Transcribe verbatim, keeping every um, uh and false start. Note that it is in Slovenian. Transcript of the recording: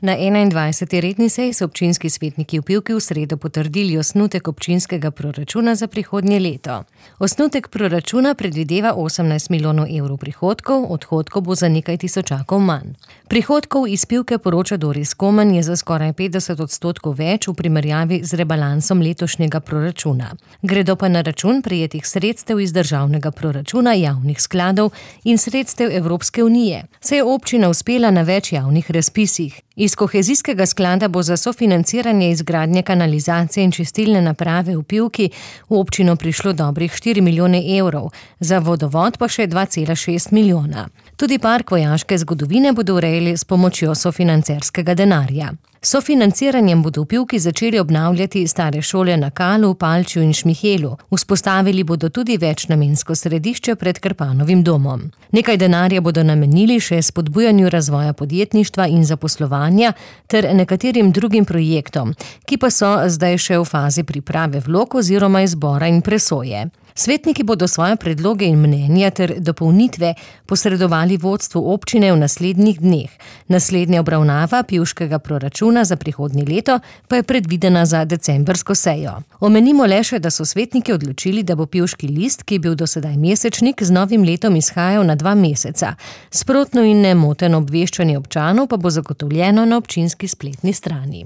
Na enaindvajseti redni seji so občinski svetniki v Pivki v sredo potrdili osnutek občinskega proračuna za prihodnje leto. Osnutek proračuna predvideva osemnajst milijonov evrov prihodkov, odhodkov bo za nekaj tisočakov manj. Prihodkov iz Pivke, poroča Doris Komen, je za skoraj petdeset odstotkov več v primerjavi z rebalansom letošnjega proračuna. Gredo pa na račun prejetih sredstev iz državnega proračuna, javnih skladov in sredstev Evropske unije. Se je občina uspela na več javnih razpisih. Iz kohezijskega sklada bo za sofinanciranje izgradnje kanalizacije in čistilne naprave v Pivki v občino prišlo dobrih štiri milijone evrov, za vodovod pa še dva cela šest milijona. Tudi park vojaške zgodovine bodo urejali s pomočjo sofinancerskega denarja. S sofinanciranjem bodo v Pivki začeli obnavljati stare šole na Kalu, Palčju in Šmihelu. Vzpostavili bodo tudi večnamensko središče pred Krpanovim domom. Nekaj denarja bodo namenili še spodbujanju razvoja podjetništva in zaposlovanja ter nekaterim drugim projektom, ki pa so zdaj še v fazi priprave vlog oziroma izbora in presoje. Svetniki bodo svoje predloge in mnenja ter dopolnitve posredovali vodstvu občine v naslednjih dneh. Naslednja obravnava pivškega proračuna za prihodnje leto pa je predvidena za decembrsko sejo. Omenimo le še, da so svetniki odločili, da bo Pivški list, ki je bil do sedaj mesečnik, z novim letom izhajal na dva meseca. Sprotno in nemoteno obveščanje občanov pa bo zagotovljeno na občinski spletni strani.